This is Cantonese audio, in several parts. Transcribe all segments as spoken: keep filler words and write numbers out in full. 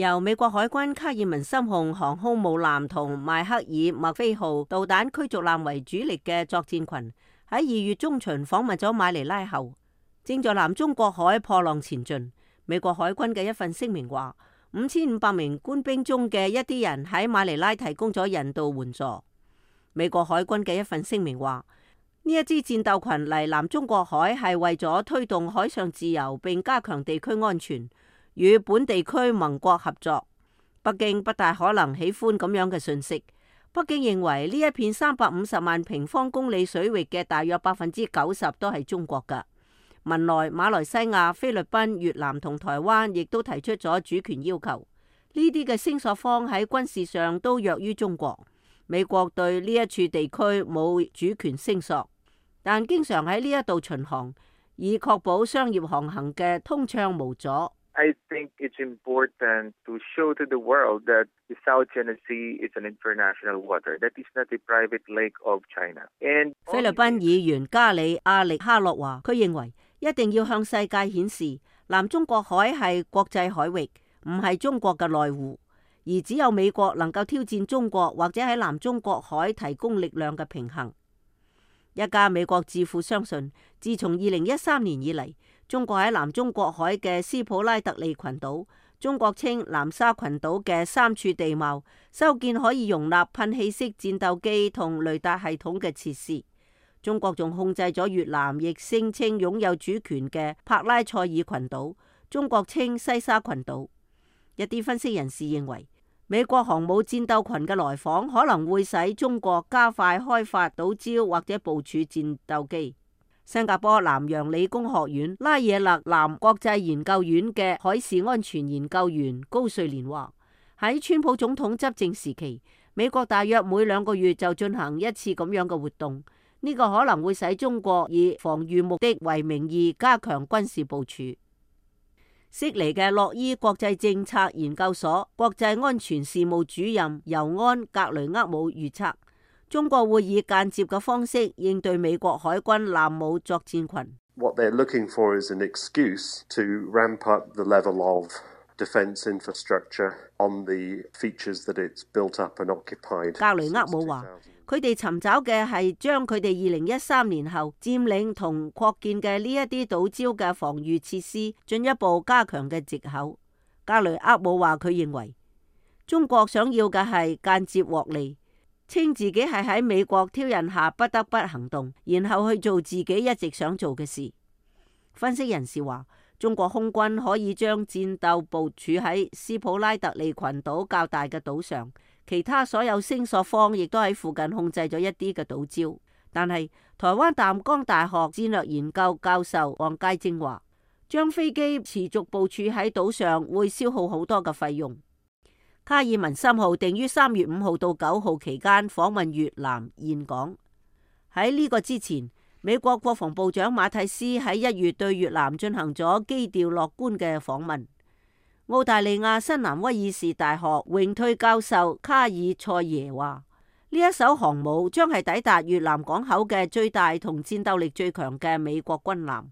由美國海軍卡爾文森號航空母艦同邁克爾默菲號導彈驅逐艦為主力嘅作戰群，喺二月中旬訪問咗馬尼拉後，正在南中國海破浪前進。美國海軍嘅一份聲明話，五千五百名官兵中嘅一啲人喺馬尼拉提供咗人道援助。美國海軍嘅一份聲明話，呢一支戰鬥群嚟南中國海係為咗推動海上自由並加強地區安全，與本地區盟國合作。北京不大可能喜歡咁樣嘅信息。北京認為呢一片三百五十萬平方公里水域嘅大約百分之九十都係中國㗎。文萊、馬來西亞、菲律賓、越南同台灣亦都提出咗主權要求。呢啲嘅聲索方喺軍事上都弱於中國。美國對呢一處地區冇主權聲索，但經常喺呢一度巡航，以確保商業航行嘅通暢無阻。I think it's important to show to the world that the South China Sea is an international water. That is not a private lake of China. And 菲律賓議員加里亞力哈洛話，佢認為一定要向世界顯示南中國海係國際海域，唔係中國嘅內湖，而只有美國能夠挑戰中國，或者喺南中國海提供力量嘅平衡。一家美國智庫相信，自從二零一三年以嚟，中國喺南中國海嘅斯普拉特利群島、中國稱南沙群島嘅三處地貌，修建可以容納噴氣式戰鬥機同雷達系統嘅設施。中國仲控制咗越南亦聲稱擁有主權嘅帕拉塞爾群島，中國稱西沙群島。一啲分析人士認為，美國航母戰鬥群嘅來訪可能會使中國加快開發島礁或者部署戰鬥機。新加坡南洋理工學院拉惹勒南國際研究院嘅海事安全研究員高瑞蓮話，喺川普總統執政時期，美國大約每兩個月就進行一次咁樣嘅活動，呢、這個可能會使中國以防禦目的為名義加強軍事部署。悉尼嘅洛伊國際政策研究所國際安全事務主任尤安格雷厄姆預測，中國會以間接嘅方式應對美國海軍艦母作戰群。What they're looking for is an excuse to ramp up the level of defense infrastructure on the features that it's built up and occupied. 格雷厄姆話，佢哋尋找嘅係將佢哋二零一三年後佔領同擴建嘅呢一啲島礁嘅防禦設施進一步加強嘅藉口。格雷厄姆話，佢認為中國想要嘅係間接獲利，稱自己係喺美國挑釁下不得不行動，然後去做自己一直想做嘅事。分析人士話，中國空軍可以將戰鬥部署喺斯普拉特利群島較大嘅島上，其他所有聲索方亦都喺附近控制咗一啲嘅島礁。但係台灣淡江大學戰略研究教授黃介正話，將飛機持續部署喺島上會消耗好多嘅費用。卡爾文森號定於三月五號到九號期間訪問越南峴港。喺呢個之前，美國國防部長馬蒂斯喺一月對越南進行咗基調樂觀嘅訪問。澳大利亞新南威爾士大學榮退教授卡爾塞耶話，呢一艘航母將係抵達越南港口嘅最大同戰鬥力最強嘅美國軍艦。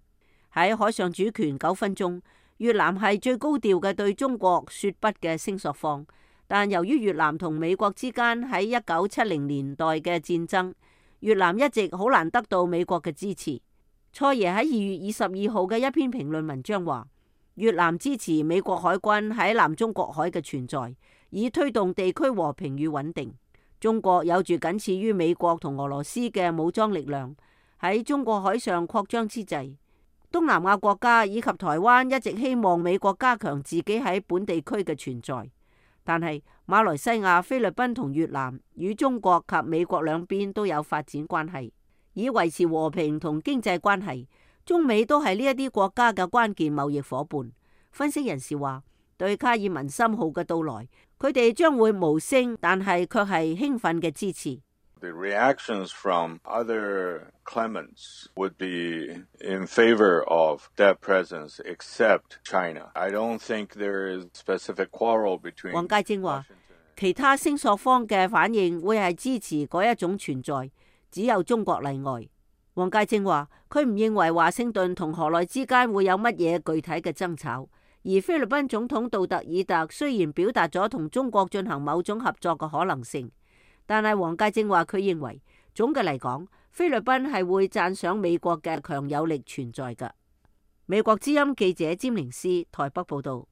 喺海上主權糾紛中，越南係最高調嘅對中國說不嘅聲索方。但由於越南同美國之間喺一九七零年代嘅戰爭，越南一直好難得到美國嘅支持。塞耶喺二月二十二號嘅一篇評論文章話，越南支持美國海軍喺南中國海嘅存在，以推動地區和平與穩定。中國有住僅次於美國同俄羅斯嘅武裝力量，喺中國海上擴張之際，東南亞國家以及台灣一直希望美國加強自己喺本地區嘅存在。但係馬來西亞、菲律賓同越南與中國及美國兩邊都有發展關係，以維持和平同經濟關係。中美都係呢一啲國家嘅關鍵貿易夥伴。分析人士話，對卡爾文森號嘅到來，佢哋將會無聲，但係卻係興奮嘅支持。The reactions from other claimants would be in favor of that presence, except China. I don't think there is specific quarrel between. 黃介正話，其他聲索方嘅反應會係支持嗰一種存在，只有中國例外。黃介正話，佢唔認為華盛頓同河內之間會有乜嘢具體嘅爭吵，而而菲律賓總統杜特爾特雖然表達咗同中國進行某種合作嘅可能性，但係黃介正話佢認為總嘅嚟講，菲律賓係會讚賞美國嘅強有力存在㗎。美國之音記者詹寧斯台北報道。